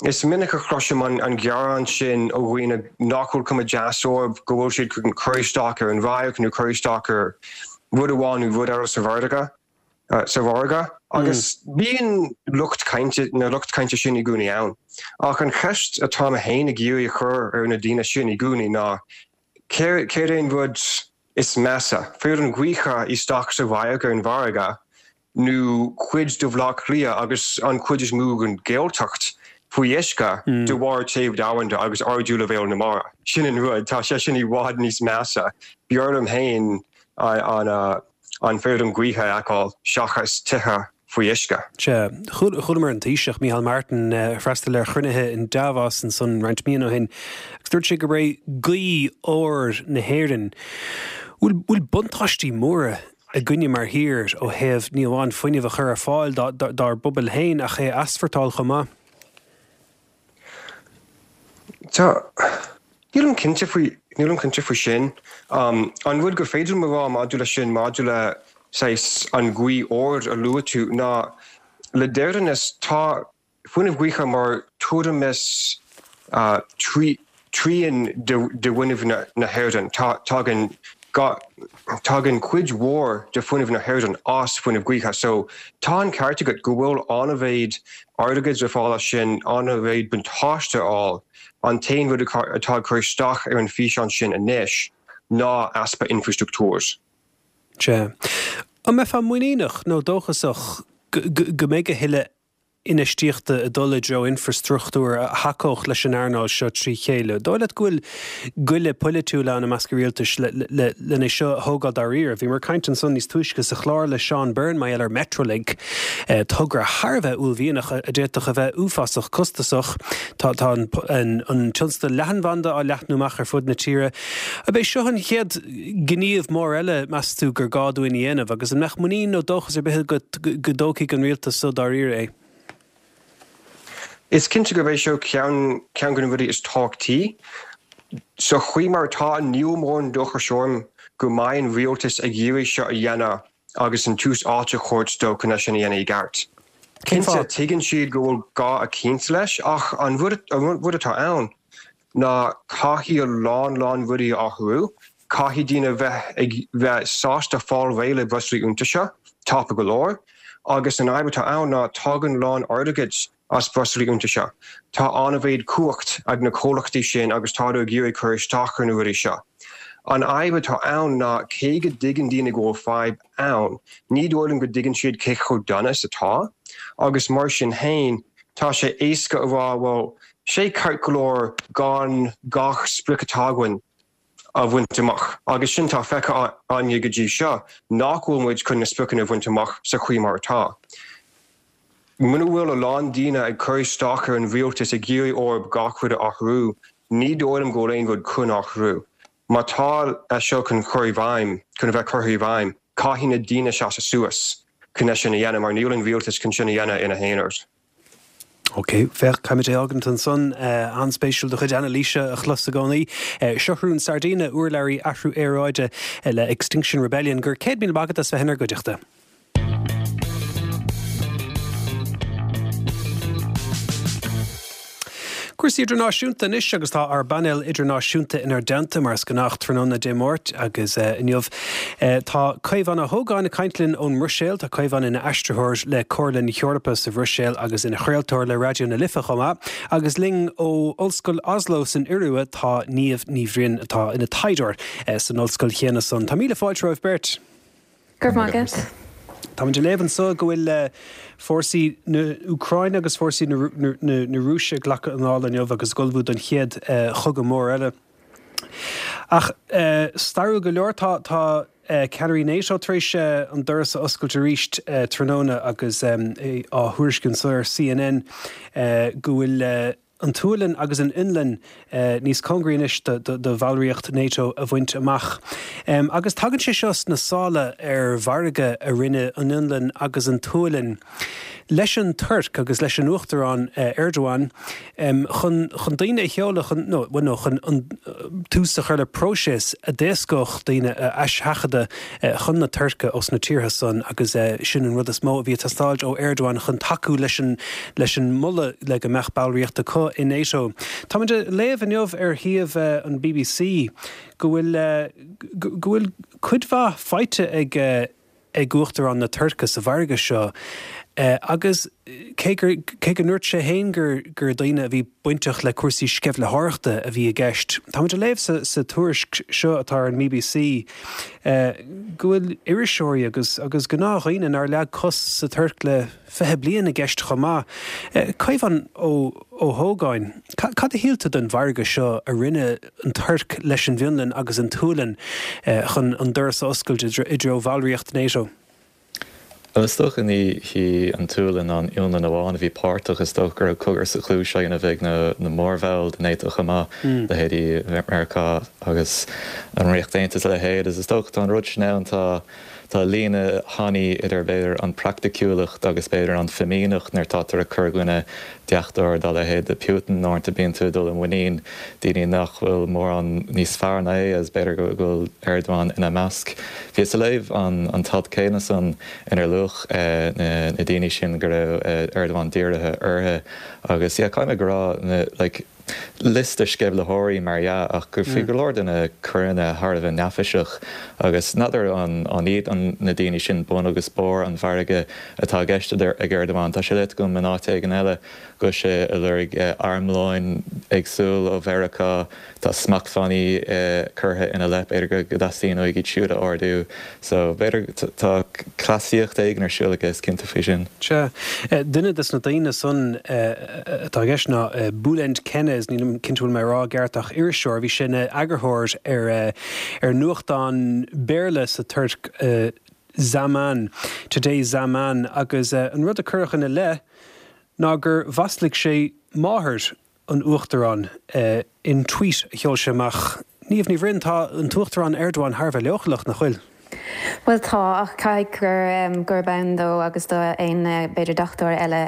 Is minic a chloisim an gearán sin ó dhaoine nach bhfuil cuma deas orthu, go bhfuil siad chun cur isteach ar an radharc nó cur isteach ar rud amháin nó rud eile sa bhfarraige, sa bhfarraige. Agus bíonn lucht cainte, na lucht cainte sin i gcónaí ann. Ach an cheist atá mé féin ag iarraidh a chur ar na daoine sin i gcónaí ná, céard é an rud is measa, feirm ghaoithe isteach sa radharc ar an bhfarraige nó cuid de Bhaile Átha Cliath agus an chuid is mó den Ghaeltacht faoi uisce de bharr téamh domhanda agus ardú leibhéal na mara. Sin an rud, tá sé sin i bhfad níos measa. B'fhearr liom féin an an feirm gaoithe a fheiceáil seachas tithe faoi uisce. Sea. Chualamar an Taoiseach, Micheál Martin, ag freastal ar chruinnithe in Davos ansan roinnt míonna ó shin agus dúirt sé gurb é gaoth ór na hÉireann. Bhfuil bhfuil buntáistí móra againne mar thír ó thaobh ní amháin fuinneamh a chur ar fáil dár bpobail féin ach é a easpórtáil chomh maith? Tá. Nílim cinnte faoi, nílim cinnte faoi sin. An rud gur féidir liom a rá maidir leis sin, maidir le saghas an ghaoth óir a luaigh tú, ná le deireanas tá fuinneamh gaoithe mar tuairim is trian de fhuinneamh na hÉireann. Tá, tagann. Tagann cuid mhór de fuinneamh na hÉireann as fuinneamh gaoithe so tá an ceart agat go bhfuil an-mhéid airgid le fáil as sin, an-mhéid buntáiste a fháil. An t-aon rud atá ag cur isteach ar an físeán sin anois ná easpa infreastruchtúir. Sea. An mbeifeá muiníneach nó dóchasach go mbeidh a thuilleadh infheistíochta ag dul i dtreo infreastruchtúir a thacódh leis an earnáil seo trí chéile. Dóigh leat go bhfuil goile poilitiúil ann i measc an rialtais len é seo a thógáil dáiríre? Bhíomar ag caint ansan níos túisce sa chlár le Seán Byrne mar gheall ar Metrolink, togra thar a bheith uaillmhianach a d'fhéadfadh a bheith uafásach costasach. Tá an tionscadal leathanbhanda á leathnú amach ar fud na tíre. Ab é seo an chéad gníomh mór eile, meas tú, gur gá dúinn a dhéanamh? Agus an mbeadh muinín nó dóchas ar bith agat go dtógfaidh an rialtas so dáiríre é? Is cinnte gurb é seo ceann ceann de na rudaí is tábhachtaí. Sa chaoi mar atá, níl mórán dóchais orm go mbeidh an rialtas ag iarraidh seo a dhéanamh agus an tús áite a thabhairt dó chun é sin a dhéanamh i gceart. Cén Cinnte, fáth? tuigeann siad go bhfuil gá eicínt leis ach an rud an rud atá ann, ná caithfidh a lán lán rudaí a athrú, caithfidh daoine bheith ag bheith sásta fáil réidh le breoslaí iontaise tapa go leor, agus an fhadhb atá ann ná tagann lán airgid as breoslaí iontaise. Tá an-mhéid cumhacht ag na comhlachtaí sin agus tádar ag iarraidh cur isteach ar na rudaí seo. An fhadhb atá ann ná cé go dtuigeann daoine go bhfuil fadhb ann, ní dóigh liom go dtuigeann siad cé chomh dona is atá, agus mar sin fhéin, tá sé éasca a rá, bhuel, sé ceart go leor gan gach sprioc atá againn a bhaint amach agus sin tá feicthe againne go dtí seo nach bhfuil muid chun na spriocanna a bhaint amach sa chaoi mar atá. Muna bhfuil a lán daoine ag cur isteach ar an rialtas ag iarraidh orthu gach rud a athrú, ní dóigh liom go bhfuil aon rud chun athrú. Má tá seo chun cur i bhfeidhm, chun a bheith curtha i bhfeidhm, caithfidh na daoine seasamh suas chun é sin a dhéanamh mar níl an rialtas chun sin a dhéanamh ina haonar. Ok, féach, caithfimid é fhágaint ansan. An-spéisiúil do chuid anailíse a chlos i gcónaí. Seathrún Sardina, urlabhraí athrú aeráide le Extinction Rebellion. Go raibh 100,000 maith agat as bheith inár gcuideachta. Cúrsaí idirnáisiúnta anois agus tá ár bpainéal idirnáisiúnta inár dteannta mar is gnách tráthnóna Dé Máirt agus inniu tá Caomhán Ó hÓgáin ag caint linn ón mBruiséil. Tá Caomhán ina aistritheoir le Comhairle na hEorpa sa Bhruiséil agus ina chraoltóir le Raidió na Life chomh maith. Agus linn ó Ollscoil Oslo san Iorua tá Niamh Ní Bhroin atá ina taighdeoir san ollscoil chéanna san. Tá míle fáilte romhaibh beirt. Go raibh maith agat. Táimid ag léamh anso go bhfuil fórsaí na Úcráine agus fórsaí na Rúise ag glacadh anála inniu agus ag ullmhú don chéad chogadh mór eile. Ach stairiúil go leor, tá tá ceannairí NATO tar éis an doras a oscailt arís tráthnóna agus á thuairisciú anso ar CNN go bhfuil an tSualainn agus an Fhionlainn níos cóngaraí anois do bhallraíocht NATO a bhaint amach. Agus tagann sé seo sna sála ar mhargadh a rinne an Fhionlainn agus an tSualainn leis an Tuirc agus leis an Uachtarán Erdogan chun chun daoine a sheoladh chun nó bhuel nó chun an tús a chur le próiseas a d'éascódh daoine a aisheachadadh chun na Tuirce ós na tíortha san agus sin an rud is mó a bhí ag teastáilt ó Erdogan chun tacú leis an leis an moladh le go mbeadh ballraíocht acu i NATO. Táimid ag léamh inniu ar shuíomh an bbc go bhfuil go bhfuil cuid mhaith faighte ag ag Uachtarán na Tuirce sa mhargadh seo agus cé gur cé go ndúirt sé féin gur gur daoine a bhí bainteach le cúrsaí sceimhlitheoireachta a bhí i gceist, táimid ag léamh sa sa tuairisc seo atá ar an mBBC go bhfuil iriseoirí agus agus gnáthdhaoine nár leag cos sa Tuirc le 20 bliain i gceist chomh maith. Caomhán Ó Ó hÓgáin, cad a shíl tú den mhargadh seo a rinne an Tuirc leis an bhFionlainn agus an tSualainn chun an doras a oscailt i dtreo bhallraíocht NATO? Bhuel, is dócha ní hí an tSualainn ná an Fhionlainn amháin a bhí páirteach, is dócha go raibh cogar sa chluais á dhéanamh ag na mórbhaill de NATO chomh maith, leithéidí Meiriceá agus an Ríocht Aontaithe is a leithéid, agus is dócha tá an rud sin ann, tá. Tá líne thanaí idir, b'fhéidir, an praiticiúlacht agus, b'fhéidir, an fimíneacht nuair atá tú ag cur i gcoinne deachtóir dá leithéid de Putin. Uaireanta bíonn tú ag dul i muinín daoine nach bhfuil mórán níos fearr ná é agus b'fhéidir go bhfuil Erdogan ina measc. Bhíos ag léamh an t-alt céanna san inar luadh na daoine sin go raibh Erdogan dírithe orthu agus, yeah, caithfidh mé go rá, like. Liosta sceimhlitheoirí mar dhea, ach go bhí go leor de na coireanna thar a bheith neafaiseach agus n'fheadar an iad na daoine sin bun agus barr an mhargaidh atá i gceist ag Erdogan. Tá sé léite agam in áit éigin eile go bhfuil sé ag lorg armlóin éagsúil ó Mheiriceá. Tá smachtbhannaí curtha ina leith, b'fhéidir go dteastaíonn uaidh iad siúd a ardú. So, b'fhéidir, tá cleasaíocht éigin ar siúl aige, is cinnte faoi sin. Sea. Duine des na daoine san atá i gceist ná Bülent Kenes, nílim cinnte bhfuil mé ag rá i gceart ach iriseoir, bhí sé ina eagarthóir ar ar nuachtán Béarla sa Tuirc, Zaman, Today's Zaman, agus an rud a cuireadh ina leith ná gur mhaslaigh sé máthair an Uachtaráin in tweet a sheol sé amach. Niamh Ní Bhroin, tá an tUachtarán Erdogan thar a bheith leochaileach, nach bhfuil? Bhuel tá, ach caithfidh gur gurb ann dó agus do aon b'fhéidir deachtóir eile.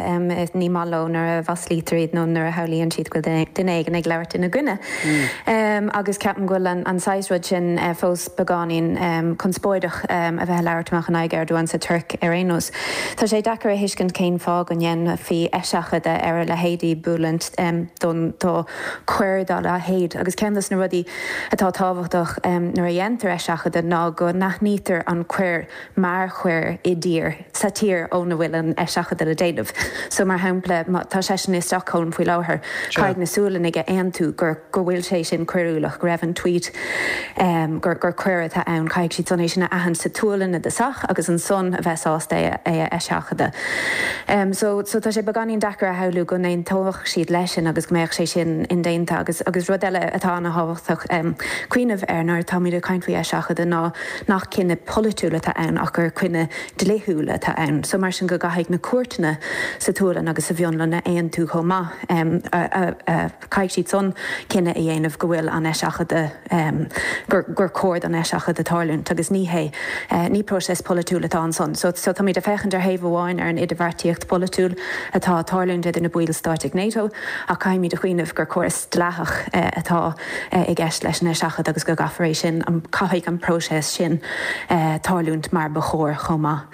Ní maith leo nuair a mhaslaítear iad nó nuair a shamhlaíonn siad go bhfuil duine éigin ag labhairt ina gcoinne. Agus ceapaim go bhfuil an saghas rud sin fós beagáinín conspóideach a bheith ag labhairt amach in aghaidh Erdogan sa Tuirc ar aon nós. Tá sé deacair a thuiscint cén fáth go ndéanfaí eiseachadadh ar a leithéidí Bülent don do choir dá leithéid agus ceann dos na rudaí atá tábhachtach nuair a dhéantar eiseachadadh ná go n-aithnítear an coir mar choir i dtír sa tír óna bhfuil an eiseachadadh le déanamh. So mar shampla má tá seisean i Stockholm faoi láthair caithfidh na Sualannaigh a aontú gur go bhfuil sé sin coiriúlach, go raibh an tweet, gur gur coir atá ann, caithfidh siad san é sin a aithint sa tSualainn i dtosach agus ansan a bheith sásta é a eiseachadadh. So so tá sé beagáinín deacair a shamhlú go n-aontódh siad leis sin agus go mbeadh sé sin indéanta agus agus rud eile atá ana-thábhachtach cuimhneamh air nuair atáimid ag caint faoi eiseachadadh ná nach cinneadh polaitiúil atá ann ach gur cinneadh dlíthiúil atá ann. So mar sin go gcaithfidh na cúirteanna sa tSualainn agus sa bhFionlainn a aontú chomh maith a Caithfidh siad san cinneadh a dhéanamh go bhfuil an eiseachadadh, gur gur cóir don eiseachadadh tarlúint agus ní hé, ní próiseas polaitiúil atá ansan. So so táimid ag féachaint ar thaobh amháin ar an idirbheartaíocht pholaitiúil atá ag tarlúint idir na baill stáit ag NATO ach caithfimid a chuimhneamh gur córas dleathach atá i gceist leis an eiseachadadh agus go gcaithfear é sin, caithfidh an próiseas sin tarlúint mar ba chóir chomh maith.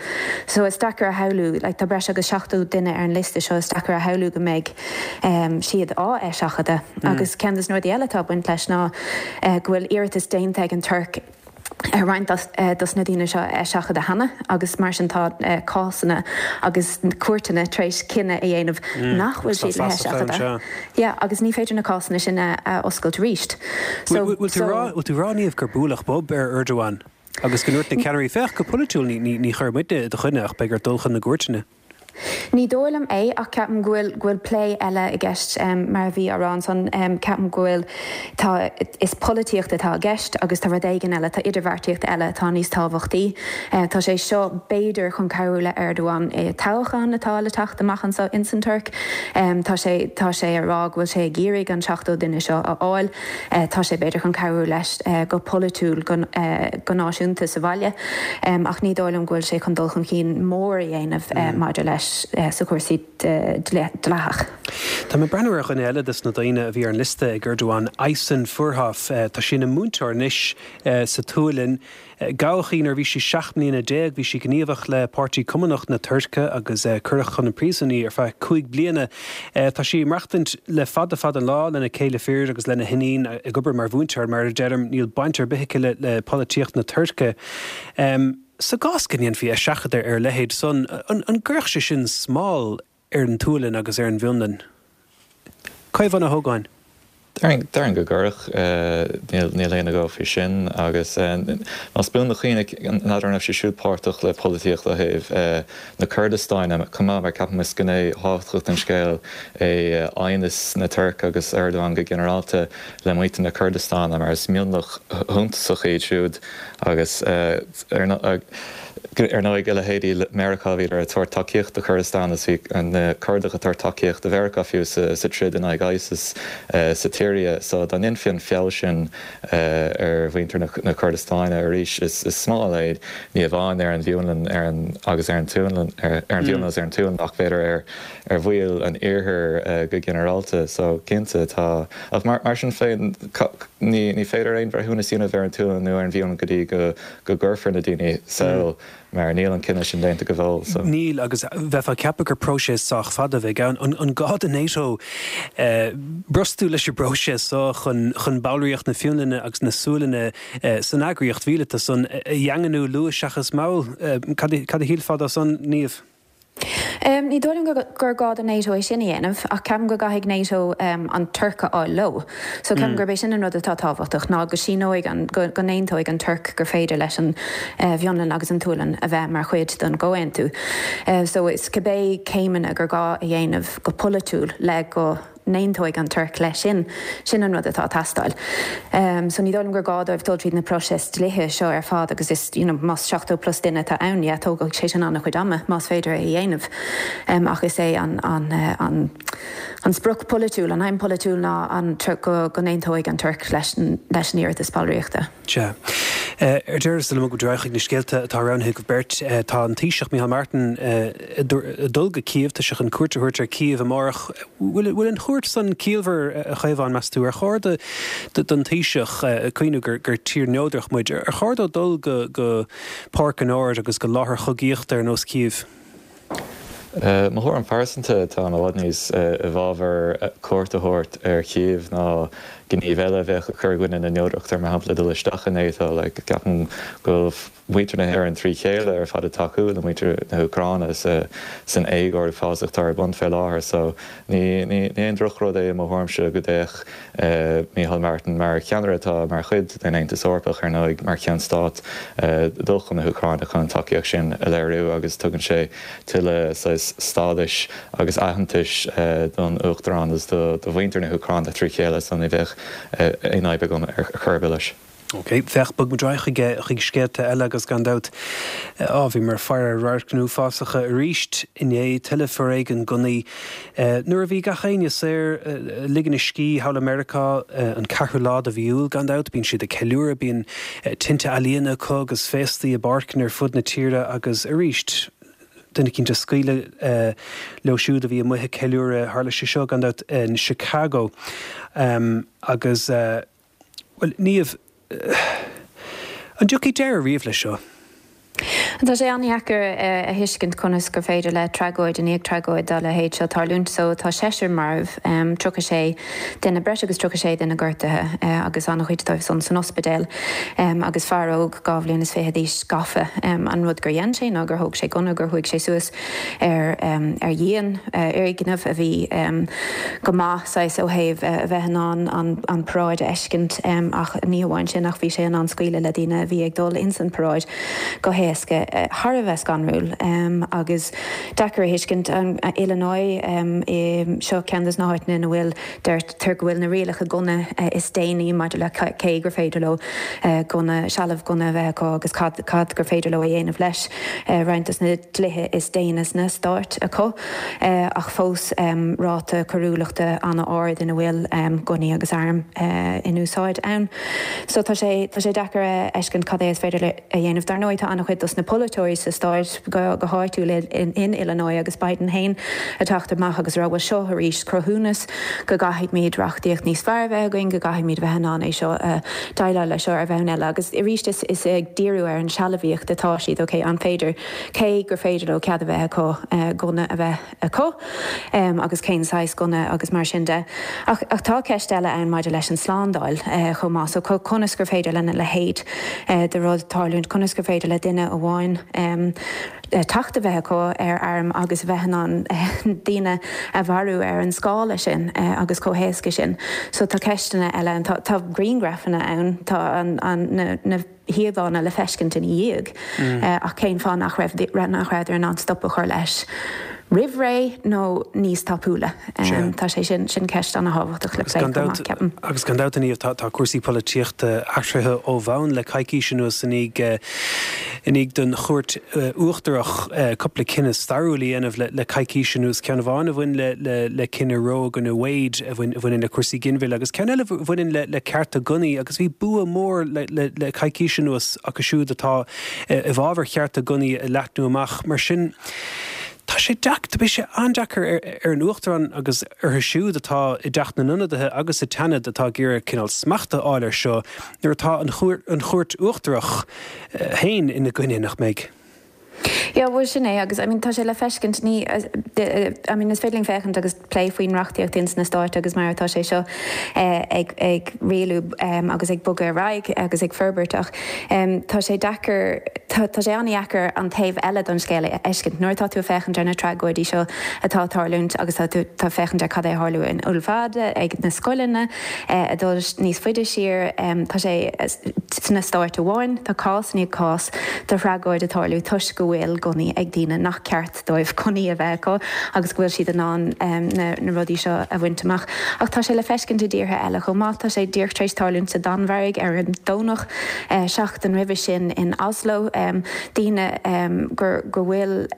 So is deacair a shamhlú, like tá breis agus 70 duine ar an liosta seo, is deacair a shamhlú go mbeidh siad á eiseachadadh. Agus ceann de na rudaí eile atá ag baint leis ná go bhfuil iarratas déanta ag an Tuirc ar roinnt dos na daoine seo a eiseachadadh cheana agus mar sin tá cásanna agus cúirteanna tar éis cinneadh a dhéanamh nach bhfuil siad le heiseachadadh. Yeah, agus ní féidir na cásanna sin a oscailt arís. So, Bhfuil tú ag rá, Niamh, gur buaileadh bob ar Erdogan agus go ndúirt na ceannairí, féach, go polaitiúil ní chuirfidh muidne i do choinne ach beidh ort dul chun na gcúirteanna. Ní dóigh liom é ach ceapaim go bhfuil, go bhfuil plé eile i gceist mar a bhí á rá ansan. Ceapaim go bhfuil, tá, is polaitíocht atá i gceist agus tá rud éigin eile, tá idirbheartaíocht eile atá níos tábhachtaí. Tá sé seo b'fhéidir chun cabhrú le Erdogan i toghchán atá le teacht amach anseo ins an Tuirc. Tá sé, tá sé ag rá go bhfuil sé ag iarraidh an 70 duine seo a fháil. Tá sé b'fhéidir chun cabhrú leis go polaitiúil go náisiúnta sa bhaile ach ní dóigh liom go bhfuil sé chun dul chun cinn mór a dhéanamh maidir leis sa chúrsaí dleathach. Tá mé ag breathnú ar dhuine eile des na daoine a bhí ar an liosta ag Erdogan, Aysen Furhoff. Tá sí ina múinteoir anois sa tSualainn. Gabhadh í nuair a bhí sí 17 mbliana. Bhí sí gníomhach le Páirtí Cumannach na Tuirce agus cuireadh chun an príosúin í ar feadh 5 bliana. Tá sí ag maireachtaint le fada fada an lá lena céile fir agus lena hiníon, ag obair mar mhúinteoir. Mar a deirim, níl baint ar bith aici le polaitíocht na Tuirce. Sa gcás go ndéanfaí eiseachadadh ar a leithéid san, an gcuirfeadh sé sin smál ar an tSualainn agus ar an bhFionlainn. Caomhán Ó hÓgáin. Déarfainn go gcuirfeadh. Níl aon agó faoi sin. Agus más buan do chuimhne, n'fheadar an raibh sí siúd páirteach le polaitíocht ó thaobh na Curdastáine chomh maith, mar ceapaim is gné thábhachtach den scéal é aighneas na Tuirce agus Erdogan go ginearálta le muintir na Curdastáine, mar is mionlach shuntasach iad siúd agus ar Ar ndóigh, a leithéidí Meiriceá, bhíodar ag tabhairt tacaíocht do Churdastan agus bhí na Curdaigh ag tabhairt tacaíocht do Mheiriceá fiú sa troid in aghaidh ISIS sa tSiria. So dá ndéanfaí an feall sin ar mhuintir na Curdastáine arís, is smál é ní amháin ar an bhFionlainn ar an agus ar an tSualainn, ar an bhFionlainn agus ar an tSualainn ach b'fhéidir ar ar bhaill an Iarthair go ginearálta. So cinnte tá. Ach mar sin féin, ní féidir aon bhreithiúnas a dhéanamh ar an tSualainn nó ar an bhFionlainn go dtí go go gcuirfear na daoine sall. Mar níl an cinneadh sin déanta go fóill, so. Níl, agus bheifeá ag ceapadh gur próiseas sách fada a bheidh ann. An gá do NATO brostú leis an bpróiseas so chun chun ballraíocht na Fionlainne agus na Sualainne san eagraíocht mhíleata san a dhaingniú luath seachas mall? Cad a shílfeá dó san, Niamh? Ní dóigh liom gur gá do NATO é sin a dhéanamh, ach ceapaim go gcaithfidh NATO an Tuirc a fháil leo. So ceapaim gurb é sin an rud atá tábhachtach, ná go síneoidh an, go n-aontóidh an Tuirc gur féidir leis an bhFionlainn agus an tSualainn a bheith mar chuid den gcomhaontú. So is cibé céimeanna gur gá a dhéanamh go polaitiúil le go. n-aontóidh an Tuirc leis sin. Sin an rud atá ag teastáil. So ní dóigh liom gur gá dóibh dul tríd na próiseas dlíthe seo ar fad agus is, you know, más 70 plus duine atá ann, yeah, tógfaidh sé sin an-chuid ama, más féidir é a dhéanamh. Ach is é an, an, an, an sprioc polaitiúil, an aidhm polaitiúil ná an, go, go n-aontóidh an Tuirc leis, leis an iarratas ballraíochta. Sea. Ar deireadh, sula mbogfaidh muid ar aghaidh chuig na scéalta atá roghnaithe agaibh beirt, tá an Taoiseach Micheál Martin ag dul go Cív, tá sé chun cuairt a thabhairt ar Cív amárach. Bhfuil an chuairt san ciallmhar, a Chaomháin, meas tú? Ar chóir don Taoiseach, ag cuimhniú gur tír neodrach muid, ar chóir dó dul go Páirc an Áir agus go láthair chogaíochta ar nós Cív? Mo thuairim phearsanta, táim i bhfad níos i bhfabhar cuairt a thabhairt ar Chív ná gníomh eile a bheadh ag cur i gcoinne na neodrachta, mar shampla dul isteach i NATO. Like, ceapaim go bhfuil muintir na hÉireann trí chéile ar fad ag tacú le muintir na hÚcráine san éagóir uafásach atá ar bun fé láthair. So, ní ní aon drochrud é i mo thuairimse go dtéadh Micheál Martin, mar cheannaire atá mar chuid den Aontas Eorpach, ar ndóigh, mar cheann stáit, dul chun na hÚcráine chun an tacaíocht sin a léiriú agus tugann sé tuilleadh saghas stádais agus aitheantais don Uachtarán agus do mhuintir na hÚcráine trí chéile so ní bheadh aon fhadhb agam ar chor ar bith leis. Ok, féach, bogfaidh muid ar aghaidh chuig, chuig scéalta eile agus gan dabht, á, bhíomar ag faire ar radharcanna uafásacha arís inné, tuilleadh foréigean gunnaí. Nuair a bhí gach éinne saor, ag ligean a scíth thall i Meiriceá, an ceathrú lá de mhí Iúil gan dabht, bíonn siad ag ceiliúradh, bíonn tinte ealaíona acu agus féastaí i bpáirceanna ar fud na tíre agus arís, duine eicínt ag scaoileadh leo siúd a bhí amuigh ag ceiliúradh, tharla sé seo gan dabht in Chicago agus. Bhuel, Niamh, an dtiocfaidh deireadh riamh leis seo? Tá sé an-dheacair a thuiscint conas gur féidir le tragóid i ndiaidh tragóid dá leithéid seo tarlúint. So tá seisear marbh, 36 duine, breis agus 36 duine gortaithe agus an-chuid dóibh san san ospidéal agus fear óg dhá bhliain is fiche d'aois gafa. An rud gur dhein sé ná gur thóg sé gunna, gur chuaigh sé suas ar ar dhíon fhoirgneamh a bhí go maith saghas ó thaobh a bheith in ann an an paráid a fheiscint ach ní hamháin sin ach bhí sé in ann scaoileadh le daoine a bhí ag dul ins an paráid go héasca. Thar a bheith scanrúil agus deacair a thuiscint. Illinois seo ceann des na háiteanna ina bhfuil Deirtear go bhfuil na rialacha gunna is déine maidir le cé gur féidir leo gunna, sealbh gunna a bheith acu agus cad cad gur féidir leo a dhéanamh leis. Roinnt des na dlíthe is déine sna Stáit acu ach fós ráta coiriúlachta an-ard ina bhfuil gunnaí agus airm in úsáid ann. So tá sé tá sé deacair a fheiscint cad é is féidir a dhéanamh. Dar ndóigh tá an-chuid dos na polaiteoirí sa stáit go go háitiúil in Illinois agus Biden féin ag teacht amach agus a rá bhuel seo arís cruthúnas go gcaithfimid reachtaíocht níos fearr a bheith againn, go gcaithfimid a bheith in ann é seo a déileáil leis seo ar bhonn eile. Agus arís is is ag díriú ar an sealbhaíocht atá siad, ok, an féidir, cé gur féidir leo cead a bheith acu gunna a bheith acu agus cén saghas gunna agus mar sin de. Ach ach tá ceist eile ann maidir leis an slándáil chomh maith. So conas gur féidir lena leithéid de rud tarlúint, conas gur féidir le duine amháin teacht a bheith acu ar arm agus a bheith in ann daoine a mharú ar an scála sin agus chomh héasca sin. So tá ceisteanna eile ann. Tá tá grianghrafanna ann, tá an an na na híomhánna le feiscint ina dhiaidh ach cén fáth nach raibh nach rabhadar in ann stop a chur leis roimh ré nó níos tapúla? Tá sé sin sin ceist ana-thábhachtach le plé chomh maith, ceapaim. Agus gan dabht, a Niamh, tá cúrsaí polaitíochta athraithe ó bhonn le coicís anuas i ndiaidh i ndiaidh don Chúirt Uachtarach cúpla cinneadh stairiúil a dhéanamh le coicís anuas, ceann amháin a bhain le cinneadh Roe i gcoinne Wade a bhaineann le cúrsaí ginmhilleadh agus ceann eile a bhaineann le cearta gunnaí agus bhí bua mór le coicís anuas acu siúd atá i bhfabhar chearta gunnaí a leathnú amach. Mar sin, tá sé deacair, beidh sé an-deacair ar an Uachtarán agus orthu siúd atá i dTeach na nIonadaithe agus sa tSeanad atá ag iarraidh cineál smacht a fháil air seo nuair atá an Chúirt Uachtarach féin ina gcoinne, nach mbeidh? Yeah, bhuel sin é agus I mean tá sé le feiscint, ní, I mean is féidir linn féachaint agus plé faoin reachtaíocht ins na Stáit agus mar atá sé seo ag ag rialú agus ag bogadh ar aghaidh agus ag forbairt ach tá sé deacair, tá tá sé an-dheacair an taobh eile don scéal a fheiscint nuair atá tú ag féachaint ar na tragóidí seo atá ag tarlúint agus tá tú tá féachaint ar cad é a tharla in Uvalde ag na scoileanna ag dul níos faide siar tá sé sna Stáit amháin tá cás i ndiaidh cás de thragóid ag tarlú toisc go bhfuil gunnaí ag daoine nach ceart dóibh gunnaí a bheith acu agus go bhfuil siad in ann na rudaí seo a bhaint amach. Ach tá sé le feiscint i dtíortha eile chomh maith. Tá sé díreach tar éis tarlúint sa Danmhairg ar an Domhnach, seachtain roimhe sin in Oslo, daoine gur go bhfuil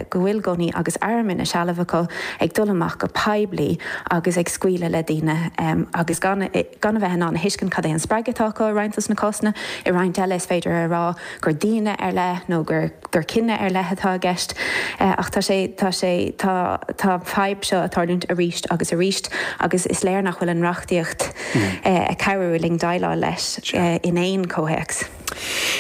go bhfuil gunnaí agus airm ina seilbh acu ag dul amach go poiblí agus ag scaoileadh le daoine agus gan gan a bheith in ann a thuiscint cad é an spreagadh atá acu i roinnt dos na cásanna. I roinnt eile is féidir a rá gur daoine ar leith nó gur gur cine ar leith atá i gceist. Ach tá sé tá sé tá tá an fadhb seo ag tarlúint arís agus arís agus is léir nach bhfuil an reachtaíocht ag cabhrú linn déileáil leis in aon chomhthéacs.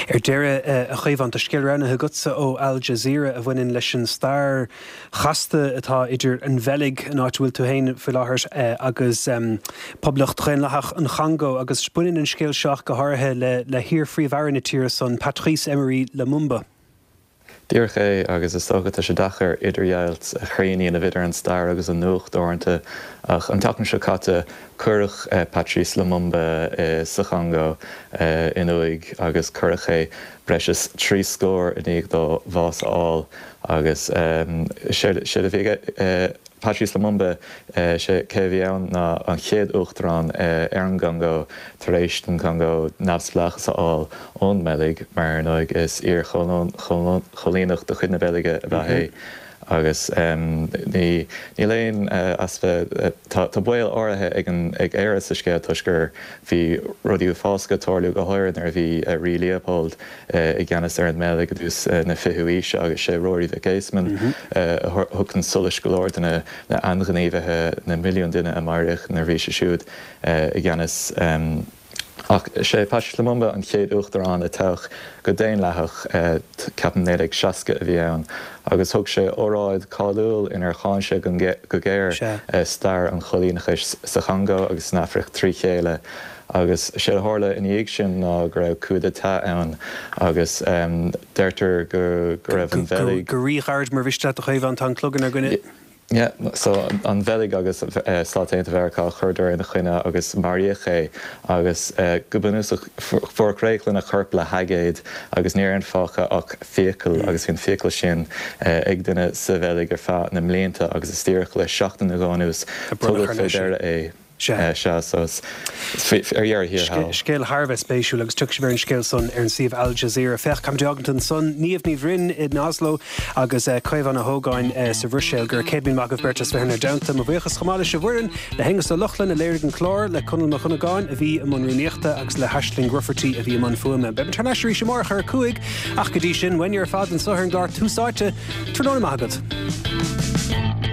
Ar deireadh, a Chaomháin, tá scéal roghnaithe agatsa ó Al Jazeera a bhaineann leis an stair chasta atá idir an Bheilg, an áit a bhfuil tú féin faoi láthair, agus Poblacht Dhaonlathach an Chongó, agus baineann an scéal seo ach go háirithe le le hiar-phríomh-aire na tíre san, Patrice Emery Lumumba. Díreach é, agus is dócha tá sé deacair idirdheighilt chruinn a dhéanamh idir an stair agus an nuacht uaireanta, ach an tseachtain seo caite cuireadh Patrice Lumumba sa Chongó in uaigh agus cuireadh é breis is 30 scór i ndiaidh dó bhás a fháil. Agus séard a bhí ag Patrice Lumumba, sé cé a bhí ann ná an chéad uachtarán ar an gCongó tar éis don Chongó neamhspleáchas a fháil ón mBeilg, mar ar ndóigh is iar-choilíneach de chuid na Beilge ab ea é. Agus ní, níl aon easpa, tá baol áirithe ag an, ag Éire sa scéal toisc gur bhí rudaí uafásacha ag tarlú go háirithe nuair a bhí Rí Leopold i gceannas ar an mBeilg i dtús na fichiú haoise agus sé Ruairí Mhic Éasmainn a thug chun solais go leor de na hainghníomhaithe, na milliúin duine a maraíodh nuair a bhí sé siúd i gceannas. Ach sé Patrice Lumumba an chéad uachtarán a toghadh go daonlathach, ceapaim 1960 a bhí ann, agus thug sé óráid cáiliúil inar cháin sé go géar stair an choilíneachais sa Chongó agus san Afraic trí chéile. Agus séard a tharla ina dhiaidh sin ná go raibh coup d'état ann agus deirtear go raibh an Bheilg. Go ríghairid mar mhiste leat a Chaomháin, tá an clog inár gcoinne. Yeah, so an Bheilg agus Stáit Aontaithe Mheiriceá chuireadar ina choinne agus maraíodh é agus go bunúsach fuair réidh lena chorp le haigéad agus ní raibh fágtha ach fiacail agus bhí an fiacail sin ag duine sa Bheilg ar feadh na mblianta agus is díreach le seachtain nó dhó anuas tugadh fé deara é. Sea. Sea, so ar dheireadh thiar thall. Scéal thar a bheith spéisiúil agus tiocfaidh sibh ar an scéal san ar an suíomh Al Jazeera. Féach, caithfimid a fhágaint ansan, Niamh Ní Bhroin in Oslo agus Caomhán Ó hÓgáin sa Bhruiséil. Go raibh 100,000 maith agaibh beirt as bheith inár dteannta. Mo bhuíochas chomh maith leis an bhfoireann, le hAonghus Ó Lochlainn a léirigh an clár, le Conall Mac Dhonnagáin a bhí i mbun rúnaíochta agus le hAisling Rufferty a bhí i mbun fuaime. Beimid thar n-ais arís amárach ar a 5 ach go dtí sin, uainne ar fad anso ar an gclár Tús Áite, tráthnóna maith agat.